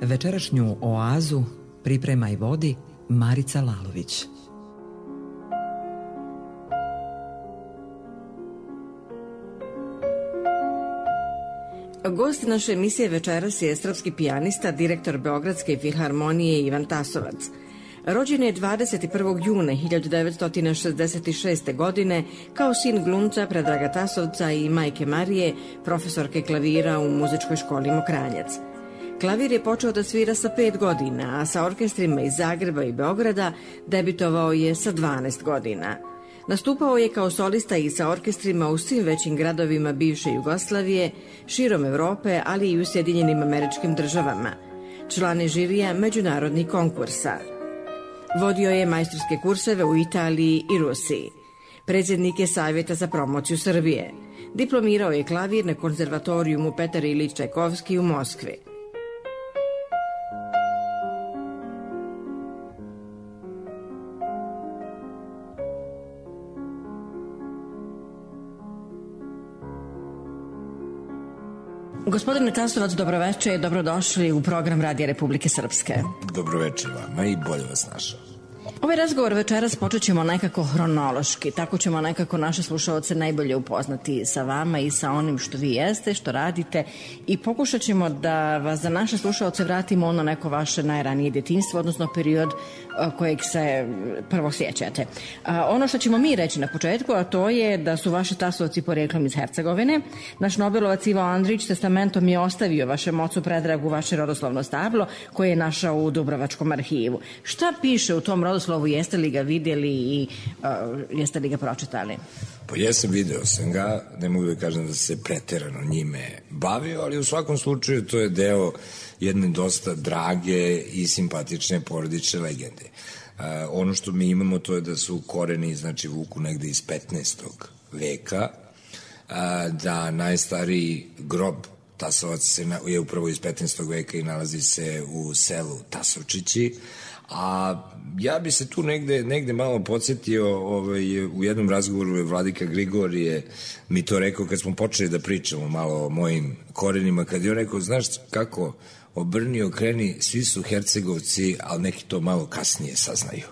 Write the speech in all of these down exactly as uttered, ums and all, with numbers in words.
Večerašnju oazu priprema i vodi Marica Lalović. Gost naše emisije večeras je srpski pijanista, direktor Beogradske filharmonije Ivan Tasovac. Rođen je dvadeset prvog juna hiljadu devetsto šezdeset šeste. godine kao sin glumca Predraga Tasovca i majke Marije, profesorke klavira u muzičkoj školi Mokranjac. Klavir je počeo da svira sa pet godina, a sa orkestrima iz Zagreba i Beograda debitovao je sa dvanaest godina. Nastupao je kao solista i sa orkestrima u svim većim gradovima bivše Jugoslavije, širom Evrope, ali i u Sjedinjenim Američkim Državama. Član je žirija međunarodnih konkursa. Vodio je majstorske kurseve u Italiji i Rusiji. Predsjednik je Savjeta za promociju Srbije. Diplomirao je klavir na konzervatorijumu Petar Ilić Čajkovski u Moskvi. Gospodine Tasovac, dobroveče, dobrodošli u program Radija Republike Srpske. Dobroveče vama i bolje vas našao. Ovaj razgovor večeras počet ćemo nekako hronološki, tako ćemo nekako naše slušaoce najbolje upoznati sa vama i sa onim što vi jeste, što radite, i pokušat ćemo da vas za naše slušaoce vratimo ono neko vaše najranije djetinjstvo, odnosno period kojeg se prvo sjećate. Ono što ćemo mi reći na početku, a to je da su vaši Tasovci porijeklom iz Hercegovine. Naš Nobelovac Ivo Andrić testamentom je ostavio vašem ocu Predragu vaše rodoslovno stablo koje je našao u Dubrovačkom arhivu. Šta piše u tom rodoslovu? Jeste li ga vidjeli i uh, jeste li ga pročitali? Pa jesam, video sam ga, ne mogu da kažem da se preterano njime bavio, ali u svakom slučaju to je deo jedne dosta drage i simpatične porodične legende. Uh, ono što mi imamo to je da su koreni, znači, vuku negde iz petnaestog veka, uh, da najstariji grob Tasovac se na, je upravo iz petnaestog veka i nalazi se u selu Tasovčići. A ja bi se tu negde, negde malo podsjetio, ovaj, u jednom razgovoru je Vladika Grigorije mi to rekao kad smo počeli da pričamo malo o mojim korenima, kad je on rekao, znaš kako, obrni, okreni, svi su Hercegovci, ali neki to malo kasnije saznaju.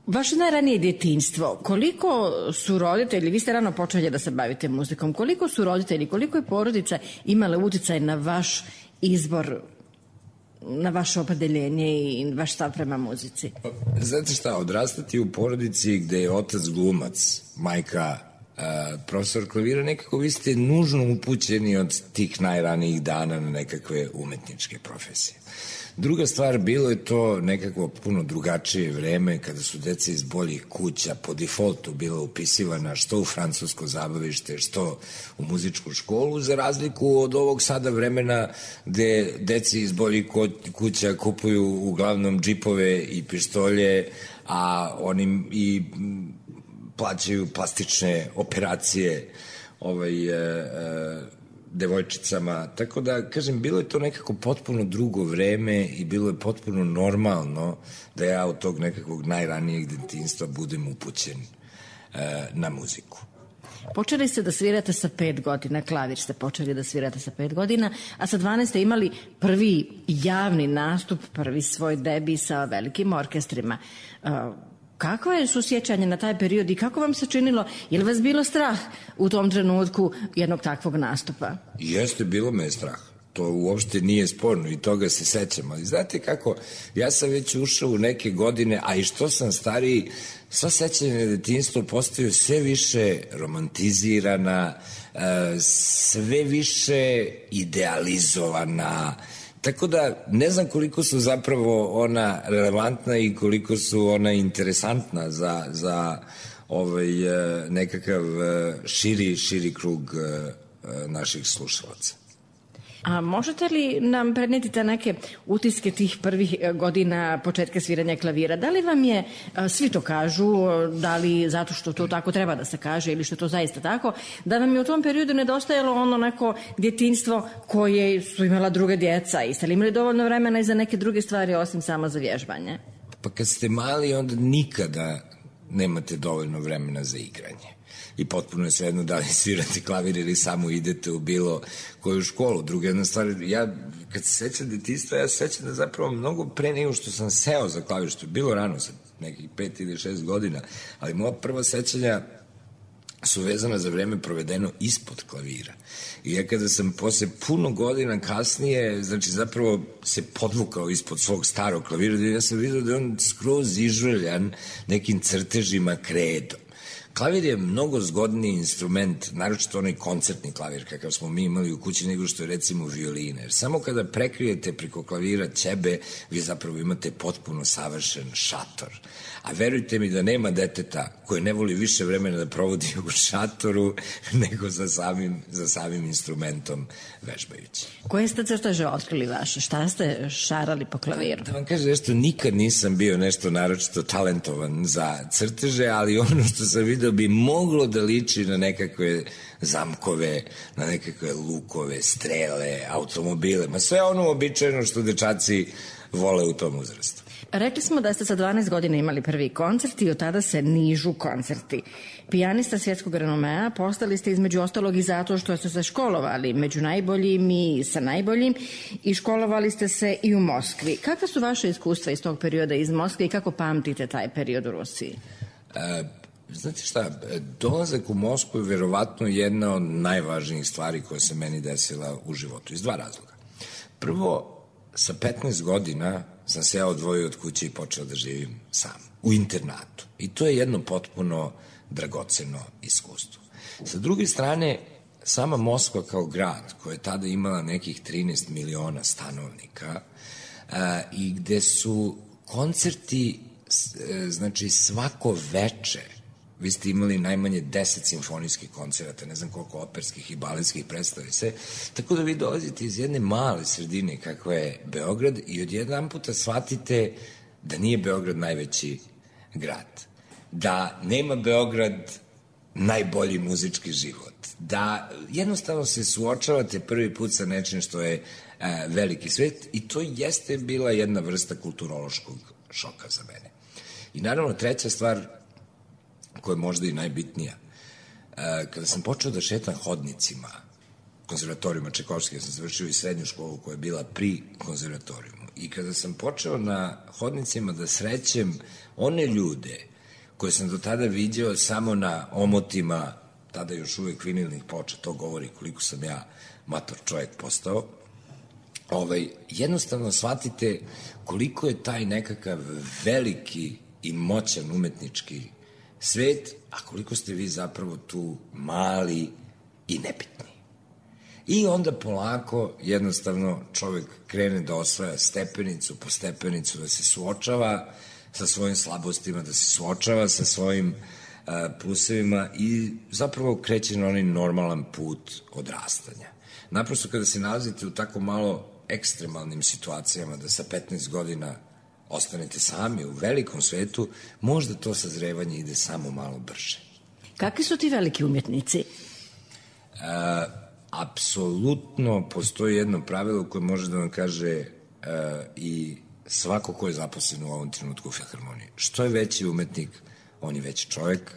Vaše najranije djetinjstvo, koliko su roditelji, vi ste rano počeli da se bavite muzikom, koliko su roditelji, koliko je porodica imala uticaj na vaš izbor, na vaše opredeljenje i vaš stav prema muzici? Znate šta, odrastati u porodici gde je otac glumac, majka uh, profesor klavira, nekako vi ste nužno upućeni od tih najranijih dana na nekakve umetničke profesije. Druga stvar, bilo je to nekako puno drugačije vreme kada su deca iz boljih kuća po defaultu bila upisivana što u francusko zabavište, što u muzičku školu, za razliku od ovog sada vremena gde deci iz boljih kuća kupuju uglavnom džipove i pištolje, a oni i plaćaju plastične operacije ovaj, e, e, devojčicama, tako da, kažem, bilo je to nekako potpuno drugo vreme i bilo je potpuno normalno da ja od tog nekakvog najranijeg detinjstva budem upućen e, na muziku. Počeli ste da svirate sa pet godina, klavir ste počeli da svirate sa pet godina, a sa dvanaest ste imali prvi javni nastup, prvi svoj debi sa velikim orkestrima. Uh, Kako je susjećanje na taj period i kako vam se činilo? Je li vas bilo strah u tom trenutku jednog takvog nastupa? Jeste, bilo me je strah. To uopšte nije sporno i toga se sećam. Ali znate kako, ja sam već ušao u neke godine, a i što sam stariji, sva sećanja na detinjstvo postaju sve više romantizirana, sve više idealizovana. Tako da ne znam koliko su zapravo ona relevantna i koliko su ona interesantna za, za ovaj, nekakav širi, širi krug naših slušalaca. A možete li nam prenijeti te neke utiske tih prvih godina početka sviranja klavira? Da li vam je, svi to kažu, da li zato što to tako treba da se kaže ili što je to zaista tako, da vam je u tom periodu nedostajalo ono neko djetinjstvo koje su imala druga djeca i ste li imali dovoljno vremena i za neke druge stvari osim samo za vježbanje? Pa kad ste mali onda nikada nemate dovoljno vremena za igranje. i potpuno je svejedno da li svirate klavir ili samo idete u bilo koju školu. Druga jedna stvar, ja kad se sećam detinjstva, ja se sećam da zapravo mnogo pre nego što sam seo za klavir, što je bilo rano, sad nekih pet ili šest godina, ali moja prva sećanja su vezana za vreme provedeno ispod klavira. I ja kada sam posle puno godina kasnije, znači zapravo se podvukao ispod svog starog klavira, ja sam vidio da je on skroz izžveljan nekim crtežima kredom. Klavir je mnogo zgodniji instrument, naročito onaj koncertni klavir kakav smo mi imali u kući, nego što je recimo violina. Jer samo kada prekrijete preko klavira ćebe, vi zapravo imate potpuno savršen šator. A verujte mi da nema deteta koje ne voli više vremena da provodi u šatoru nego za samim, za samim instrumentom vežbajući. Koje ste crteže otkrili vaše? Šta ste šarali po klaviru? Da vam kažem nešto, nikad nisam bio nešto naročito talentovan za crteže, ali ono što sam vidio bi moglo da liči na nekakve zamkove, na nekakve lukove, strele, automobile, ma sve ono običajno što dečaci vole u tom uzrastu. Rekli smo da ste sa dvanaest godina imali prvi koncert i od tada se nižu koncerti. Pijanista svjetskog renomea, postali ste između ostalog i zato što ste se školovali među najboljim i sa najboljim i školovali ste se i u Moskvi. Kakva su vaše iskustva iz tog perioda iz Moskve i kako pamtite taj period u Rusiji? E, znate šta, dolazak u Moskvu je verovatno jedna od najvažnijih stvari koja se meni desila u životu, iz dva razloga. Prvo, sa petnaest godina sam se ja odvojio od kuće i počeo da živim sam, u internatu. I to je jedno potpuno dragoceno iskustvo. Sa druge strane, sama Moskva kao grad, koja je tada imala nekih trinaest miliona stanovnika, a, i gde su koncerti, znači svako veče, vi ste imali najmanje deset simfonijskih koncerata, ne znam koliko operskih i baletskih predstavi se, tako da vi dolazite iz jedne male sredine kakva je Beograd i odjedan puta shvatite da nije Beograd najveći grad, da nema Beograd najbolji muzički život, da jednostavno se suočavate prvi put sa nečim što je e, veliki svet i to jeste bila jedna vrsta kulturološkog šoka za mene. I naravno treća stvar koja je možda i najbitnija. Kada sam počeo da šetam hodnicima konzervatorijuma Čajkovskog, ja sam završio i srednju školu koja je bila pri konzervatorijumu, i kada sam počeo na hodnicima da srećem one ljude koje sam do tada vidio samo na omotima, tada još uvek vinilnih ploča, to govori koliko sam ja mator čovjek postao, ovaj, jednostavno shvatite koliko je taj nekakav veliki i moćan umetnički svet, a koliko ste vi zapravo tu mali i nebitni. I onda polako, jednostavno, čovjek krene da osvaja stepenicu po stepenicu, da se suočava sa svojim slabostima, da se suočava sa svojim uh, plusevima i zapravo kreće na onaj normalan put odrastanja. Naprosto kada se nalazite u tako malo ekstremalnim situacijama, da sa petnaest godina ostanete sami u velikom svetu, možda to sazrevanje ide samo malo brže. Kakvi su ti veliki umjetnici? E, apsolutno postoji jedno pravilo koje može da vam kaže e, i svako ko je zaposlen u ovom trenutku u Filharmoniji. Što je veći umetnik, on je veći čovjek,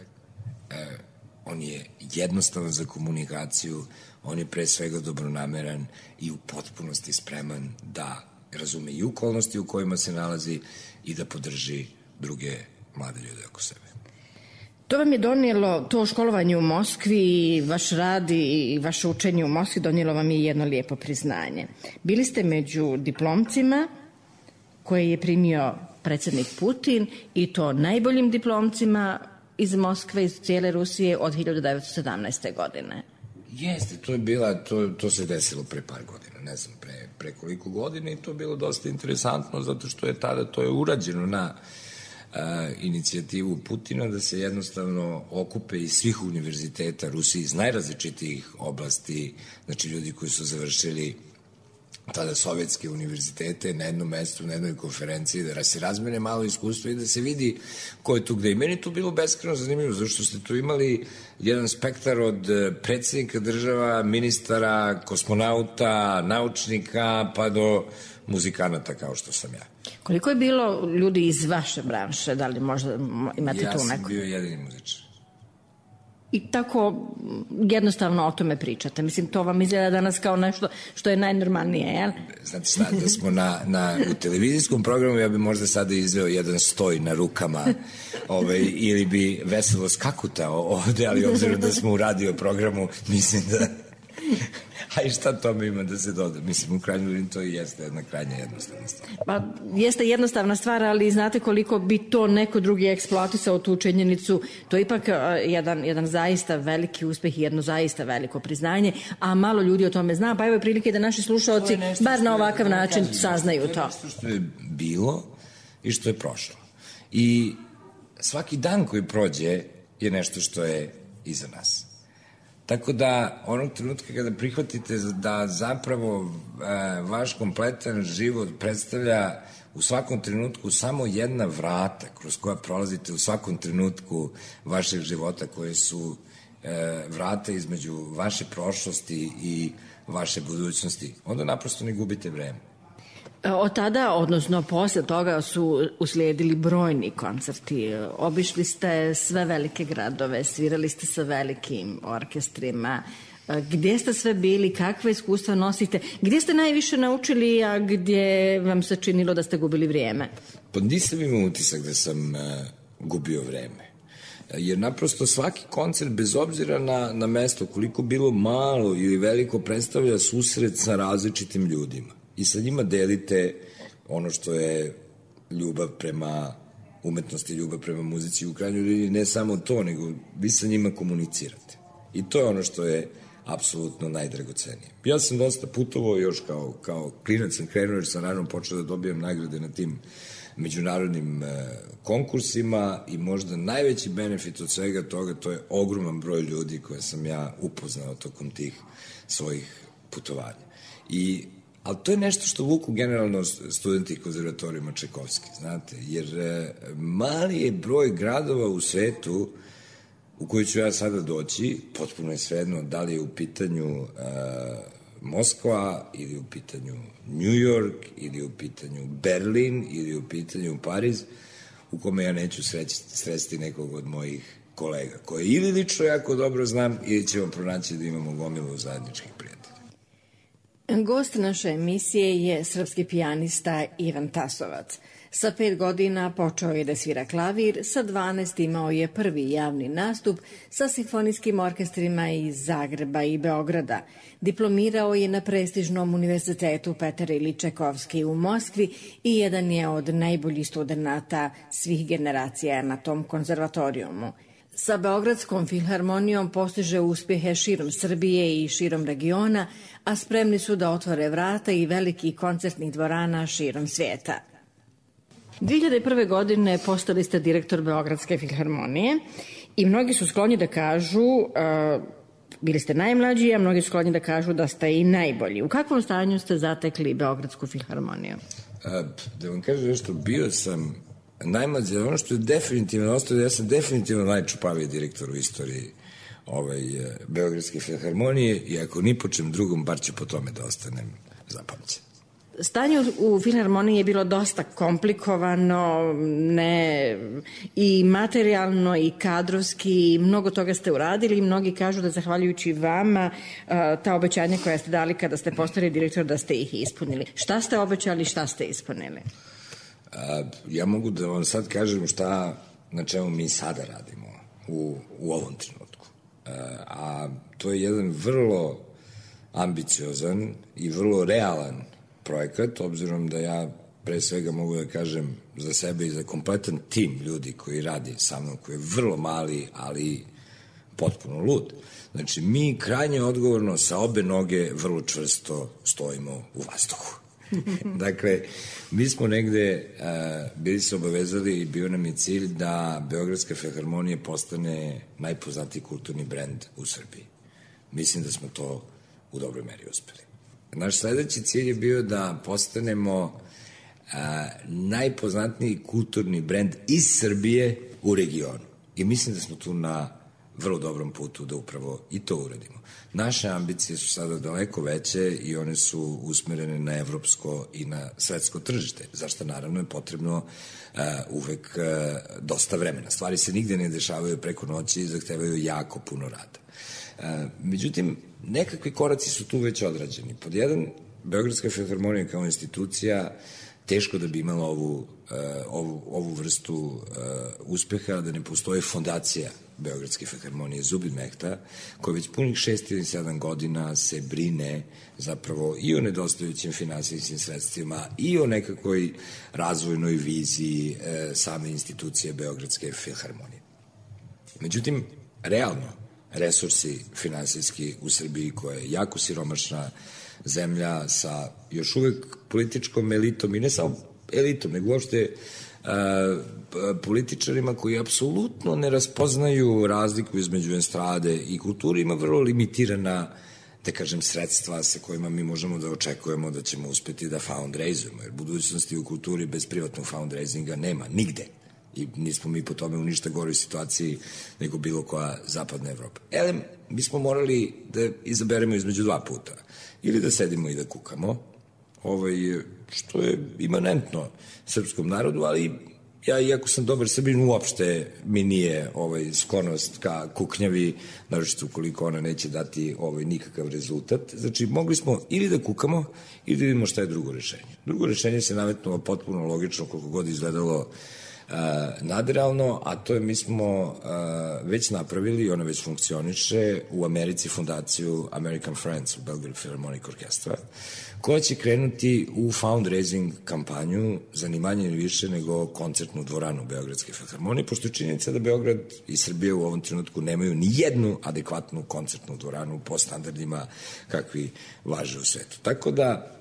e, on je jednostavan za komunikaciju, on je pre svega dobronameran i u potpunosti spreman da razume i okolnosti u kojima se nalazi i da podrži druge mlade ljude oko sebe. To vam je donijelo, to školovanje u Moskvi, vaš rad i vaše učenje u Moskvi donijelo vam je jedno lijepo priznanje. Bili ste među diplomcima koje je primio predsjednik Putin i to najboljim diplomcima iz Moskve, iz cijele Rusije od hiljadu devetsto sedamnaeste. godine. Jeste, to je bila, to, to se desilo pre par godina, ne znam, pre, pre koliko godina i to je bilo dosta interesantno zato što je tada, to je urađeno na uh, inicijativu Putina da se jednostavno okupe iz svih univerziteta Rusije, iz najrazličitijih oblasti, znači ljudi koji su završili tada sovjetske univerzitete na jednom mestu, na jednoj konferenciji, da se razmene malo iskustvo i da se vidi ko je tu gde. I meni to bilo beskrajno zanimljivo, zašto ste tu imali jedan spektar od predsjednika država, ministara, kosmonauta, naučnika, pa do muzikanata kao što sam ja. Koliko je bilo ljudi iz vaše branše? Da li možda imate ja tu neko? Ja sam bio jedini muzičar. i tako jednostavno o tome pričate. Mislim, to vam izgleda danas kao nešto što je najnormalnije, jel? Znate šta, da smo na, na, u televizijskom programu, ja bi možda sada izveo jedan stoj na rukama ovaj, ili bi veselo skakutao ovde, ali obzirom da smo u radio programu, mislim da... A i šta tome ima da se doda? Mislim, u krajnju liniju to i jeste jedna krajnja jednostavna stvar. Pa, jeste jednostavna stvar, ali znate koliko bi to neko drugi eksploatisao tu činjenicu, to je ipak jedan, jedan zaista veliki uspeh i jedno zaista veliko priznanje, a malo ljudi o tome zna, pa evo je prilike da naši slušaoci bar na ovakav način saznaju to. To je nešto što je bilo i što je prošlo. I svaki dan koji prođe je nešto što je iza nas. Tako da, onog trenutka kada prihvatite da zapravo e, vaš kompletan život predstavlja u svakom trenutku samo jedna vrata kroz koja prolazite u svakom trenutku vašeg života, koje su e, vrata između vaše prošlosti i vaše budućnosti, onda naprosto ne gubite vreme. Od tada, odnosno posle toga su uslijedili brojni koncerti. Obišli ste sve velike gradove, svirali ste sa velikim orkestrima. Gdje ste sve bili, kakve iskustva nosite? Gdje ste najviše naučili, a gdje vam se činilo da ste gubili vrijeme? Pa nisam imao utisak da sam uh, gubio vreme. Jer naprosto svaki koncert, bez obzira na, na mesto, koliko bilo malo ili veliko, predstavlja susret sa različitim ljudima. I sa njima delite ono što je ljubav prema umetnosti, ljubav prema muzici. U krajnjoj liniji ne samo to, nego vi sa njima komunicirate. I to je ono što je apsolutno najdragocenije. Ja sam dosta putovao još kao, kao klinac, sam krenuo jer sam naravno počeo da dobijam nagrade na tim međunarodnim e, konkursima i možda najveći benefit od svega toga to je ogroman broj ljudi koje sam ja upoznao tokom tih svojih putovanja. I ali to je nešto što vuku generalno studenti konzervatorijuma Čajkovski, znate, jer e, mali je broj gradova u svetu u koji ću ja sada doći, potpuno je svejedno da li je u pitanju e, Moskva ili u pitanju New York ili u pitanju Berlin ili u pitanju Pariz, u kome ja neću sreći, sresti nekog od mojih kolega, koje ili lično jako dobro znam ili ćemo pronaći da imamo gomilu zajedničkih prijatelja. Gost naše emisije je srpski pijanista Ivan Tasovac. Sa pet godina počeo je da svira klavir, sa dvanaest imao je prvi javni nastup sa simfonijskim orkestrima iz Zagreba i Beograda. Diplomirao je na prestižnom univerzitetu Petar Iljič Čajkovski u Moskvi i jedan je od najboljih studenata svih generacija na tom konzervatorijumu. Sa Beogradskom filharmonijom postiže uspjehe širom Srbije i širom regiona, a spremni su da otvore vrata i velikih koncertnih dvorana širom svijeta. dvije hiljade prve. godine postali ste direktor Beogradske filharmonije i mnogi su skloni da kažu, uh, bili ste najmlađi, a mnogi su skloni da kažu da ste i najbolji. U kakvom stanju ste zatekli Beogradsku filharmoniju? A, da vam kažem nešto, bio sam najmlađi, ono što je definitivno ostalo, ja sam definitivno najčupaviji direktor u istoriji ovaj, Beogradske filharmonije i ako ni po čem drugom, bar ću po tome da ostanem zapamćen. Stanje u filharmoniji je bilo dosta komplikovano, ne, i materijalno i kadrovski, mnogo toga ste uradili i mnogi kažu da zahvaljujući vama ta obećanja koja ste dali kada ste postali direktor da ste ih ispunili. Šta ste obećali, šta ste ispunili? A, ja mogu da vam sad kažem šta, na čemu mi sada radimo u, u ovom trenutku. A, a to je jedan vrlo ambiciozan i vrlo realan projekat, obzirom da ja pre svega mogu da kažem za sebe i za kompletan tim ljudi koji radi sa mnom, koji je vrlo mali, ali potpuno lud. Znači, mi krajnje odgovorno sa obe noge vrlo čvrsto stojimo u vazduhu. Dakle, mi smo negde uh, bili se obavezali i bio nam je cilj da Beogradska filharmonija postane najpoznatiji kulturni brend u Srbiji. Mislim da smo to u dobroj meri uspeli. Naš sledeći cilj je bio da postanemo a, najpoznatniji kulturni brend iz Srbije u regionu. I mislim da smo tu na vrlo dobrom putu da upravo i to uradimo. Naše ambicije su sada daleko veće i one su usmerene na evropsko i na svetsko tržište, zašto naravno je potrebno uh, uvek uh, dosta vremena. Stvari se nigde ne dešavaju preko noći i zahtevaju jako puno rada. Uh, međutim, nekakvi koraci su tu već odrađeni. Pod jedan, Beogradska filharmonija kao institucija teško da bi imala ovu, uh, ovu, ovu vrstu uh, uspeha da ne postoji fondacija Beogradske filharmonije Zubin Mehta, koja već punih šest ili sedam godina se brine zapravo i o nedostajućim finansijskim sredstvima i o nekakvoj razvojnoj viziji uh, same institucije Beogradske filharmonije. Međutim, realno, resursi finansijski u Srbiji, koja je jako siromašna zemlja sa još uvek političkom elitom i ne samo elitom, nego uopšte uh, političarima koji apsolutno ne raspoznaju razliku između estrade i kulture, ima vrlo limitirana, da kažem, sredstva sa kojima mi možemo da očekujemo da ćemo uspeti da fundraizujemo, jer budućnosti u kulturi bez privatnog fundraisinga nema, nigde. I nismo mi po tome u ništa goroj situaciji nego bilo koja zapadna Evropa. Elem, mi smo morali da izaberemo između dva puta. Ili da sedimo i da kukamo, ovaj, što je imanentno srpskom narodu, ali ja, iako sam dobar Srbin, uopšte mi nije ovaj, sklonost ka kuknjavi, naročito ukoliko ona neće dati ovaj, nikakav rezultat. Znači, mogli smo ili da kukamo, ili da vidimo šta je drugo rešenje. Drugo rešenje se nametnulo potpuno logično, koliko god izgledalo Uh, nadrealno, a to je mi smo uh, već napravili, ona već funkcioniše, u Americi fondaciju American Friends u Belgrade Philharmonic Orchestra, koja će krenuti u fundraising kampanju za ni manje ni više nego koncertnu dvoranu Beogradske filharmonije, pošto je činjenica da Beograd i Srbija u ovom trenutku nemaju ni jednu adekvatnu koncertnu dvoranu po standardima kakvi važe u svetu. Tako da,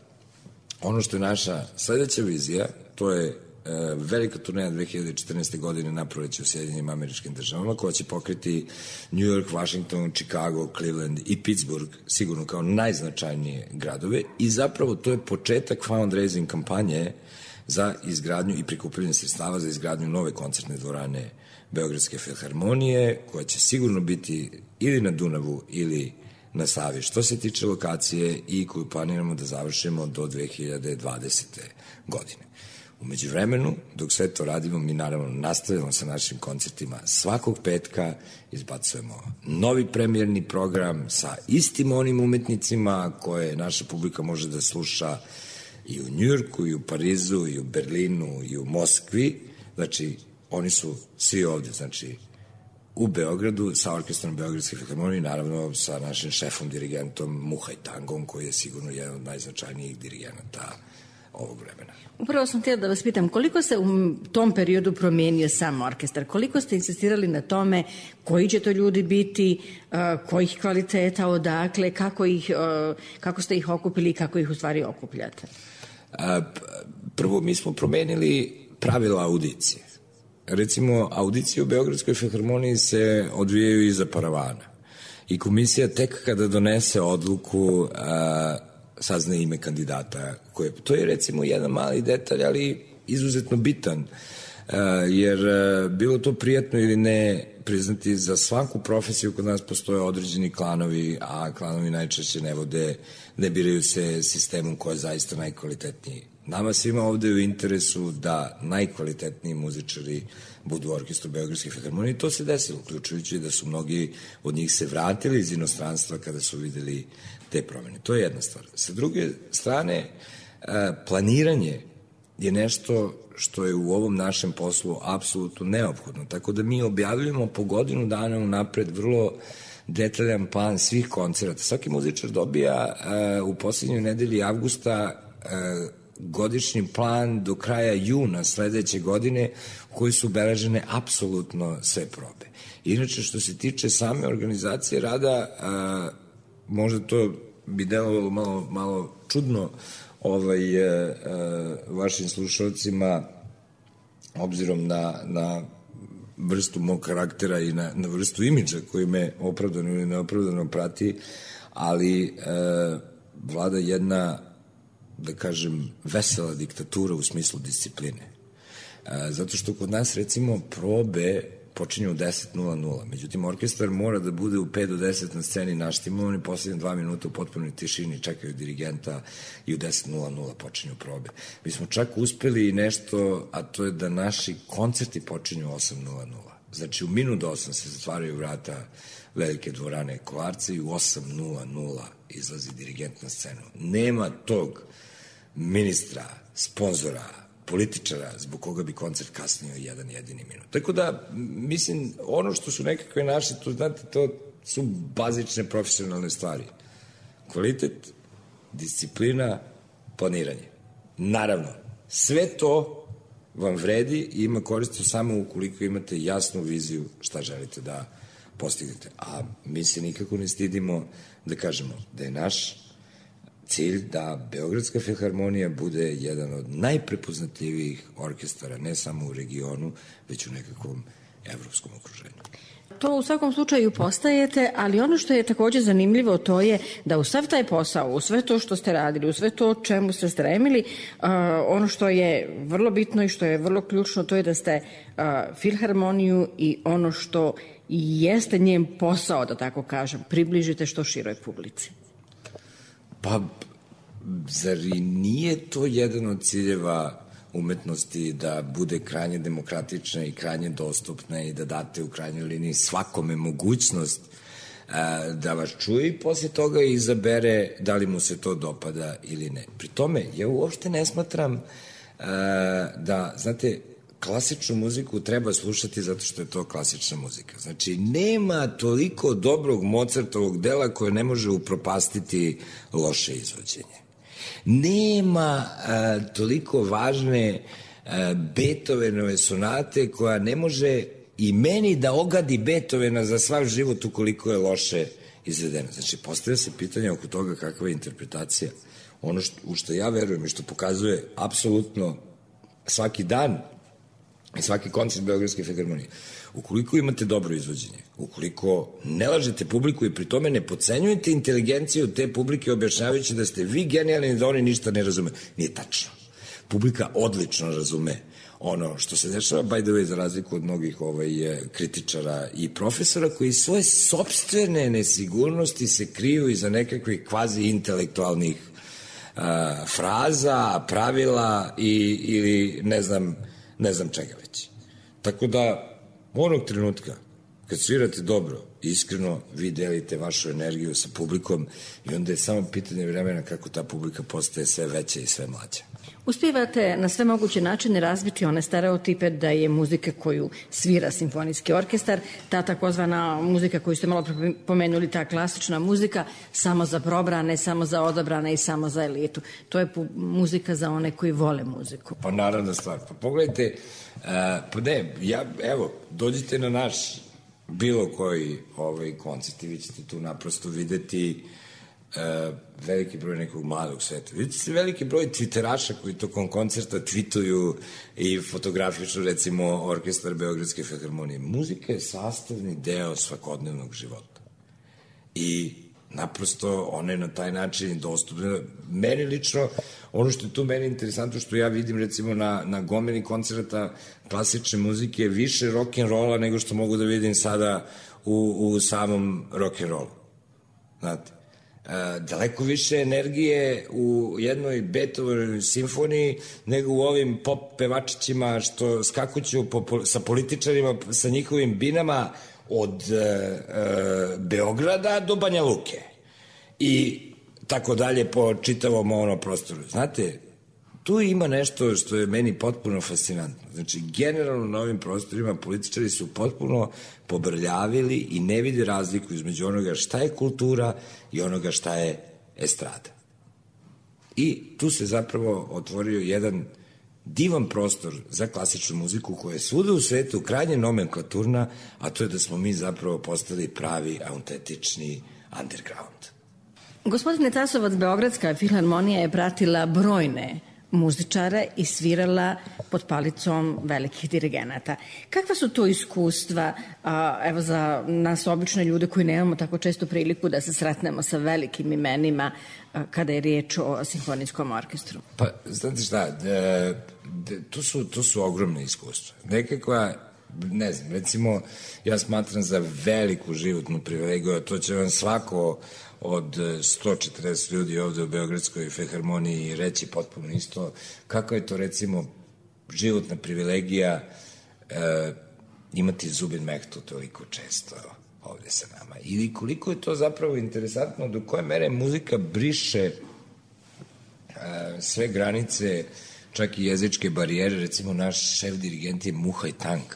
ono što je naša sledeća vizija, to je velika turneja dve hiljade četrnaeste. godine na proleće u Sjedinjenim Američkim Državama, koja će pokriti New York, Washington, Chicago, Cleveland i Pittsburgh, sigurno kao najznačajnije gradove, i zapravo to je početak fundraising kampanje za izgradnju i prikupljanje sredstava za izgradnju nove koncertne dvorane Beogradske filharmonije, koja će sigurno biti ili na Dunavu ili na Savi, što se tiče lokacije, i koju planiramo da završimo do dve hiljade dvadesete. godine. Umeđu vremenu, dok sve to radimo, mi naravno nastavljamo sa našim koncertima. Svakog petka izbacujemo novi premijerni program sa istim onim umetnicima koje naša publika može da sluša i u Njujorku, i u Parizu, i u Berlinu, i u Moskvi. Znači, oni su svi ovde, znači, u Beogradu sa orkestrom Beogradske filharmonije, naravno sa našim šefom, dirigentom Muhaj Tangom, koji je sigurno jedan od najznačajnijih dirigenata ovog vremena. Upravo sam htjela da vas pitam, koliko se u tom periodu promijenio sam orkestar? Koliko ste insistirali na tome koji će to ljudi biti, uh, kojih kvaliteta, odakle, kako, ih, uh, kako ste ih okupili i kako ih u stvari okupljate? A, prvo, mi smo promenili pravila audicije. Recimo, audicije u Beogradskoj filharmoniji se odvijaju iza paravana. I komisija tek kada donese odluku a, sazna ime kandidata. Koje, to je recimo jedan mali detalj, ali izuzetno bitan, jer bilo to prijatno ili ne priznati, za svaku profesiju kod nas postoje određeni klanovi, a klanovi najčešće ne vode, ne biraju se sistemom koji je zaista najkvalitetniji. Nama svima ovde je u interesu da najkvalitetniji muzičari budu u orkestru Beogradske filharmonije, i to se desilo, uključujući da su mnogi od njih se vratili iz inostranstva kada su videli te promene. To je jedna stvar. Sa druge strane, planiranje je nešto što je u ovom našem poslu apsolutno neophodno, tako da mi objavljujemo po godinu dana unapred vrlo detaljan plan svih koncerata. Svaki muzičar dobija u poslednjoj nedelji avgusta godišnji plan do kraja juna sledeće godine, u kojoj su obeležene apsolutno sve probe. Inače, što se tiče same organizacije rada, a, možda to bi delovalo malo, malo čudno ovaj, a, a, vašim slušalcima, obzirom na, na vrstu mog karaktera i na, na vrstu imidža koji me opravdano ili neopravdano prati, ali a, vlada jedna, da kažem, vesela diktatura u smislu discipline. Zato što kod nas, recimo, probe počinju u deset nula nula. Međutim, orkestar mora da bude u pet do deset na sceni naštimovan i poslednje dva minuta u potpunoj tišini čekaju dirigenta i u deset nula nula počinju probe. Mi smo čak uspeli i nešto, a to je da naši koncerti počinju u osam nula nula. Znači, u minut do osam se zatvaraju vrata velike dvorane Kolarca i u osam nula nula izlazi dirigent na scenu. Nema tog ministra, sponzora, političara zbog koga bi koncert kasnio jedan jedini minut. Tako da, mislim, ono što su nekakve naše, to, znate, to su bazične profesionalne stvari. Kvalitet, disciplina, planiranje. Naravno, sve to vam vredi i ima koristi samo ukoliko imate jasnu viziju šta želite da postignete. A mi se nikako ne stidimo da kažemo da je naš cilj da Beogradska filharmonija bude jedan od najprepoznatljivijih orkestara, ne samo u regionu, već u nekakvom evropskom okruženju. To u svakom slučaju postajete, ali ono što je takođe zanimljivo to je da u sav taj posao, u sve to što ste radili, u sve to čemu ste stremili, uh, ono što je vrlo bitno i što je vrlo ključno, to je da ste uh, filharmoniju i ono što jeste njen posao, da tako kažem, približite što široj publici. Pa, zar i nije to jedan od ciljeva umetnosti da bude krajnje demokratična i krajnje dostupna i da date u krajnjoj liniji svakome mogućnost a, da vas čuje i posle toga izabere da li mu se to dopada ili ne. Pri tome, ja uopšte ne smatram a, da, znate, klasičnu muziku treba slušati zato što je to klasična muzika. Znači, nema toliko dobrog Mozartovog dela koje ne može upropastiti loše izvođenje. Nema a, toliko važne a, Beethovenove sonate koja ne može i meni da ogadi Beethovena za svav život ukoliko je loše izvedena. Znači, postavlja se pitanje oko toga kakva je interpretacija. Ono što, u što ja verujem i što pokazuje apsolutno svaki dan i svaki koncert Beogradske filharmonije. Ukoliko imate dobro izvođenje, ukoliko ne lažete publiku i pri tome ne podcenjujete inteligenciju te publike objašnjavajući da ste vi genijalni da oni ništa ne razume. Nije tačno. Publika odlično razume ono što se dešava, by the way, za razliku od mnogih ovaj, kritičara i profesora koji svoje sopstvene nesigurnosti se kriju iza nekakvih kvazi intelektualnih uh, fraza, pravila i, ili ne znam ne znam čega već. Tako da, onog trenutka, kad svirate dobro, iskreno, vi delite vašu energiju sa publikom i onda je samo pitanje vremena kako ta publika postaje sve veća i sve mlađa. Uspijevate na sve moguće načine razbiti one stereotipe da je muzika koju svira simfonijski orkestar, ta takozvana muzika koju ste malo pomenuli, ta klasična muzika, samo za probrane, samo za odabrane i samo za elitu. To je muzika za one koji vole muziku. Pa naravna stvar. Pa pogledajte, uh, pa ne, ja, evo, dođite na naš bilo koji ovaj koncert i vi ćete tu naprosto videti Uh, veliki broj nekog mladog sveta. Vidite se veliki broj twitteraša koji tokom koncerta twituju i fotografišu recimo orkestar Beogradske filharmonije. Muzika je sastavni deo svakodnevnog života. I naprosto ona je na taj način dostupna. Meni lično, ono što je tu meni interesantno, što ja vidim recimo na, na gomeni koncerta klasične muzike, više rock'n'rolla nego što mogu da vidim sada u, u samom rock'n'rollu. Znate? Uh, daleko više energije u jednoj Beethovenovoj simfoniji nego u ovim pop pevačićima što skakuću po, po, sa političarima, sa njihovim binama od uh, uh, Beograda do Banja Luke i tako dalje po čitavom ono prostoru. Znate, tu ima nešto što je meni potpuno fascinantno. Znači, generalno na ovim prostorima političari su potpuno pobrljavili i ne vide razliku između onoga šta je kultura i onoga šta je estrada. I tu se zapravo otvorio jedan divan prostor za klasičnu muziku koja je svuda u svetu krajnje nomenklaturna, a to je da smo mi zapravo postali pravi, autentični underground. Gospodine Tasovac, Beogradska filharmonija je pratila brojne muzičare i svirala pod palicom velikih dirigenata. Kakva su to iskustva, a, evo za nas obične ljude koji nemamo tako često priliku da se sretnemo sa velikim imenima a, kada je riječ o simfonijskom orkestru? Pa, znate šta, de, de, to, su, to su ogromne iskustva. Nekakva ne znam, recimo, ja smatram za veliku životnu privilegiju, a to će vam svako od sto četrdeset ljudi ovde u Beogradskoj filharmoniji reći potpuno isto, kako je to, recimo, životna privilegija e, imati Zubin Mehtu toliko često ovde sa nama. Ili koliko je to zapravo interesantno, do koje mere muzika briše e, sve granice, čak i jezičke barijere. Recimo, naš šef dirigent je Muhaj Tank,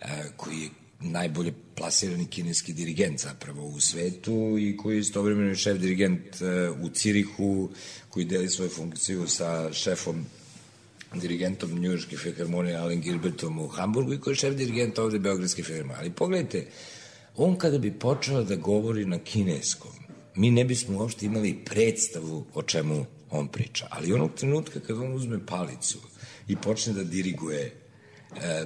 e, koji je najbolje plasirani kineski dirigent zapravo u svetu i koji je istovremeno šef dirigent e, u Cirihu, koji deli svoju funkciju sa šefom dirigentom Njujorške filharmonije Alan Gilbertom u Hamburgu i koji je šef dirigent ovde Beogradske filharmonije. Ali pogledajte, on kada bi počeo da govori na kineskom, mi ne bismo uopšte imali predstavu o čemu on priča. Ali onog trenutka kada on uzme palicu i počne da diriguje e,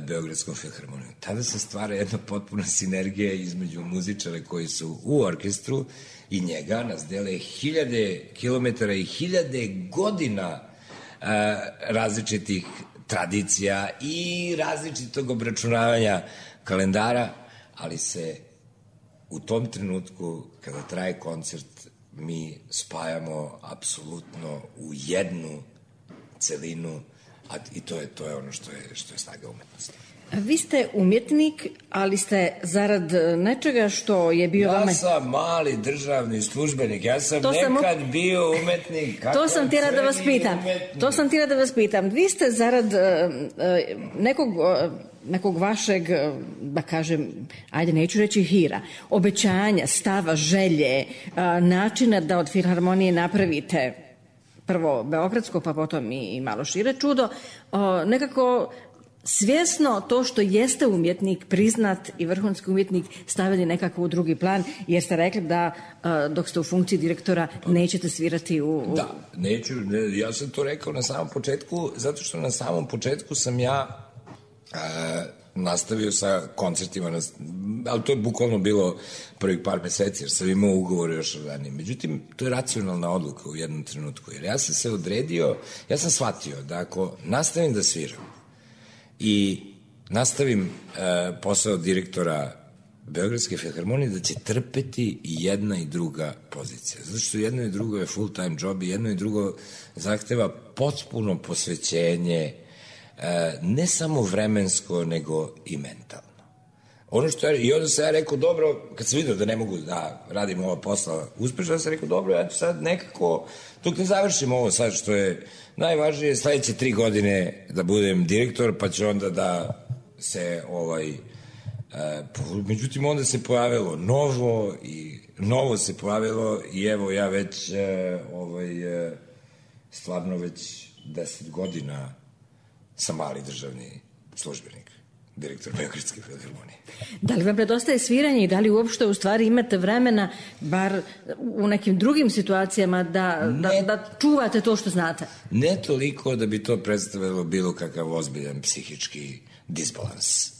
Beogradskom filharmonijom, tada se stvara jedna potpuna sinergija između muzičara koji su u orkestru i njega, nas dele hiljade kilometara i hiljade godina e, različitih tradicija i različitog obračunavanja kalendara, ali se u tom trenutku, kada traje koncert, mi spajamo apsolutno u jednu celinu, a i to je, to je ono što je, što je snaga umetnosti. Vi ste umjetnik, ali ste zarad nečega što je bio ja vama... Ja sam mali državni službenik, ja sam to nekad sam... bio umetnik. To sam htjela da vas pitam. Umetnik. To sam htjela da vas pitam. Vi ste zarad uh, uh, nekog... Uh, nekog vašeg, da kažem, ajde, neću reći hira, obećanja, stava, želje, načina da od filharmonije napravite prvo beogradsko, pa potom i malo šire čudo, nekako svjesno to što jeste umjetnik, priznat i vrhunski umjetnik, stavili nekako u drugi plan, jer ste rekli da dok ste u funkciji direktora nećete svirati u... u... Da, neću, ne, ja sam to rekao na samom početku, zato što na samom početku sam ja E, nastavio sa koncertima, na, ali to je bukvalno bilo prvih par meseci, jer sam imao ugovor još ranije. Međutim, to je racionalna odluka u jednom trenutku, jer ja sam se odredio, ja sam shvatio da ako nastavim da sviram i nastavim e, posao direktora Beogradske filharmonije, da će trpeti i jedna i druga pozicija. Zato što jedno i drugo je full time job i jedno i drugo zahteva potpuno posvećenje, ne samo vremensko, nego i mentalno. Ono što ja, i onda sam ja rekao, dobro, kad sam vidio da ne mogu da radim ova posla uspešno, ja sam rekao, dobro, ja ću sad nekako, dok ne završim ovo sad što je najvažnije, sledeće tri godine da budem direktor, pa ću onda da se, ovaj, e, međutim, onda se pojavilo novo i novo se pojavilo i evo ja već, e, ovaj, e, stvarno već deset godina sam mali državni službenik, direktor Beogradske filharmonije. Da li vam predostaje sviranje i da li uopšte u stvari imate vremena, bar u nekim drugim situacijama, da, ne, da, da čuvate to što znate? Ne toliko da bi to predstavilo bilo kakav ozbiljan psihički disbalans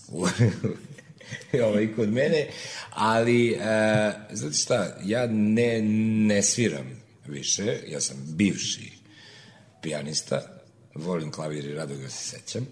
ovaj, kod mene, ali, e, znate šta, ja ne, ne sviram više, ja sam bivši pijanista, volim klavir i rado ga se sećam,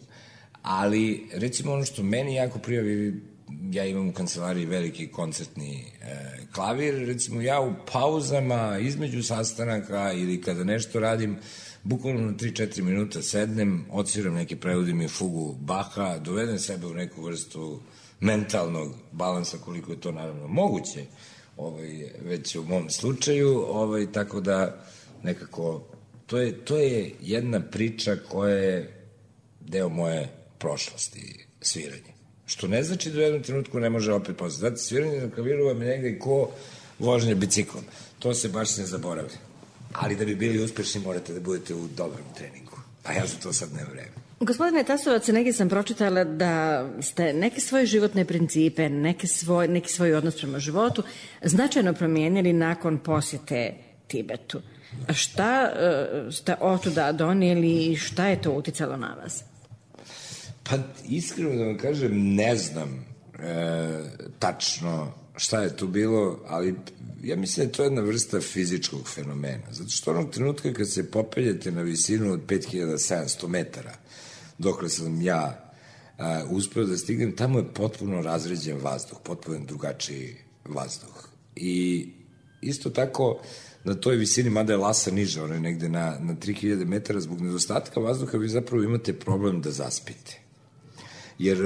ali recimo ono što meni jako prijavi, ja imam u kancelariji veliki koncertni e, klavir, recimo ja u pauzama između sastanaka ili kada nešto radim, bukvalno na tri četiri minuta sednem, odsviram neke, prevodim je fugu Baha, dovedem sebe u neku vrstu mentalnog balansa koliko je to naravno moguće, ovaj, već u mom slučaju, ovaj, tako da nekako To je, to je jedna priča koja je deo moje prošlosti, sviranje. Što ne znači da u jednom trenutku ne može opet postati. Znate, sviranje na klaviru vam je negde ko vožnje biciklom. To se baš ne zaboravlja. Ali da bi bili uspešni morate da budete u dobrom treningu. A ja za to sad ne vreme. Gospodine Tasovac, negdje sam pročitala da ste neke svoje životne principe, neke svoj, neki svoj odnos prema životu značajno promijenili nakon posjete Tibetu. Šta uh, ste otuda donijeli i šta je to uticalo na vas? Pa iskreno da vam kažem, ne znam e, tačno šta je tu bilo, ali ja mislim da je to jedna vrsta fizičkog fenomena. Zato što onog trenutka kad se popeljete na visinu od pet hiljada sedamsto metara, dokle sam ja a, uspeo da stignem, tamo je potpuno razređen vazduh, potpuno drugačiji vazduh. I isto tako, na toj visini, mada je Lhasa niža, ona je negde na, na tri hiljade metara, zbog nedostatka vazduha vi zapravo imate problem da zaspite. Jer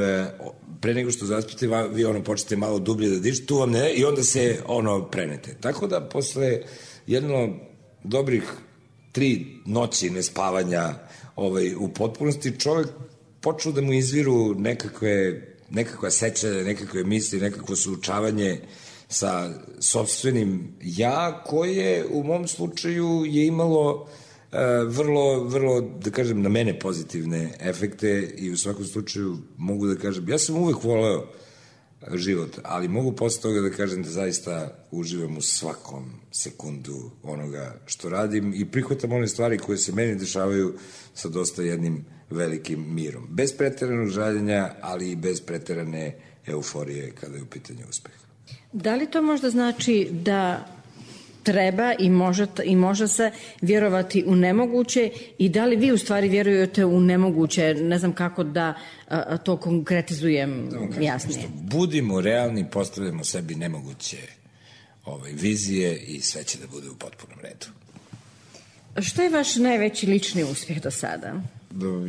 pre nego što zaspite, vi ono počete malo dublje da dišete, tu vam ne, i onda se ono prenete. Tako da posle jedno dobrih tri noći nespavanja ovaj, u potpunosti, čovek počeo da mu izviru nekakve, nekakva sećanja, nekakve misli, nekakvo suočavanje sa sopstvenim ja, koje u mom slučaju je imalo uh, vrlo, vrlo, da kažem, na mene pozitivne efekte i u svakom slučaju mogu da kažem, ja sam uvek voleo život, ali mogu posle toga da kažem da zaista uživam u svakom sekundu onoga što radim i prihvatam one stvari koje se meni dešavaju sa dosta jednim velikim mirom. Bez preteranog žaljenja, ali i bez preterane euforije kada je u pitanju uspeha. Da li to možda znači da treba i može, i može se vjerovati u nemoguće i da li vi u stvari vjerujete u nemoguće? Ne znam kako da a, to konkretizujem jasnije. Budimo realni, postavljamo sebi nemoguće ovaj, vizije i sve će da bude u potpunom redu. Što je vaš najveći lični uspjeh do sada?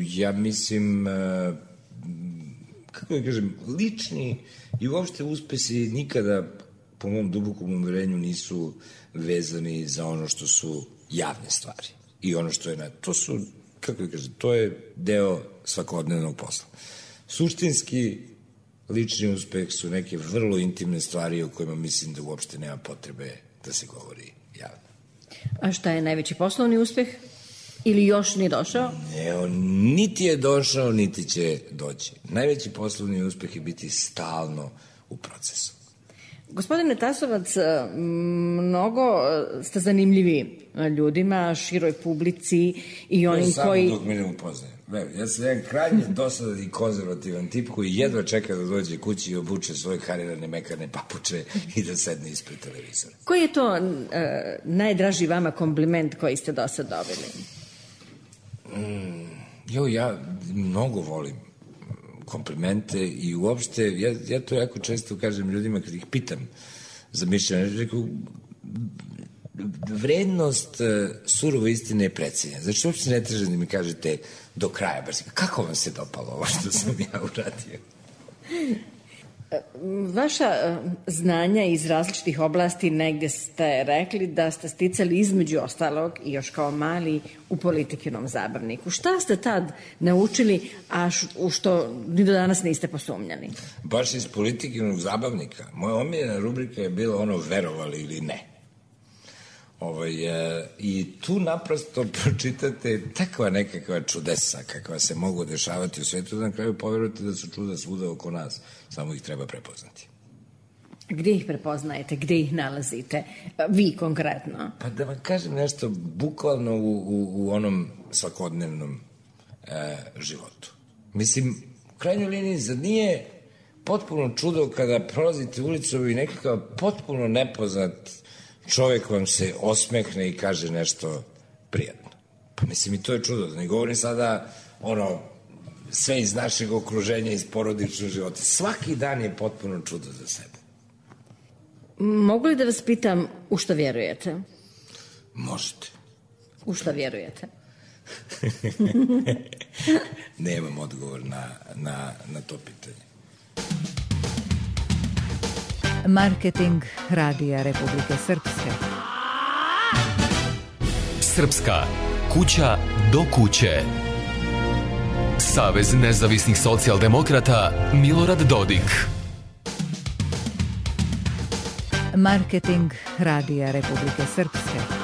Ja mislim, kako da kažem, lični i uopšte uspesi nikada, po mom dubokom uverenju, nisu vezani za ono što su javne stvari. I ono što je na... To su, kako da kažem, to je deo svakodnevnog posla. Suštinski, lični uspeh su neke vrlo intimne stvari o kojima mislim da uopšte nema potrebe da se govori javno. A šta je najveći poslovni uspeh? Ili još nije došao? Ne, on niti je došao, niti će doći. Najveći poslovni uspeh je biti stalno u procesu. Gospodine Tasovac, mnogo ste zanimljivi ljudima, široj publici i onim samo koji... Samo dok me ne upoznajem. Ja sam jedan krajnje dosadan i konzervativan tip koji jedva čeka da dođe kući i obuče svoje karirane mekane papuče i da sedne ispred televizora. Koji je to uh, najdraži vama kompliment koji ste do sad dobili? Mm, jo, ja mnogo volim komplimente i uopšte, ja, ja to jako često kažem ljudima kad ih pitam za mišljenje, rekao, vrednost uh, surove istine je precenjena. Znači, uopšte ne tražem da mi kažete do kraja, baš kako vam se dopalo ovo što sam ja uradio? Vaša znanja iz različitih oblasti, negde ste rekli da ste sticali između ostalog i još kao mali u Politikinom zabavniku. Šta ste tad naučili, a u što ni do danas niste posumnjali? Baš iz Politikinog zabavnika. Moja omiljena rubrika je bila ono verovali ili ne. Ovaj, e, I tu naprosto pročitate takva nekakva čudesa kakva se mogu dešavati u svetu, da na kraju poverujete da su čuda svuda oko nas, samo ih treba prepoznati. Gde ih prepoznajete, gde ih nalazite, vi konkretno? Pa da vam kažem nešto, bukvalno u, u, u onom svakodnevnom e, životu. Mislim, u krajnjoj liniji, zar nije potpuno čudo kada prolazite ulicom i nekakav potpuno nepoznat čovjek vam se osmehne i kaže nešto prijatno. Pa mislim, i to je čudo. Da ne govorim sada ono, sve iz našeg okruženja, iz porodičnog života. Svaki dan je potpuno čudo za sebe. Mogu li da vas pitam u što vjerujete? Možete. U što vjerujete? Nemam odgovor na, na, na to pitanje. Marketing Radija Republike Srpske. Srpska kuća do kuće. Savez nezavisnih socijaldemokrata Milorad Dodik. Marketing Radija Republike Srpske.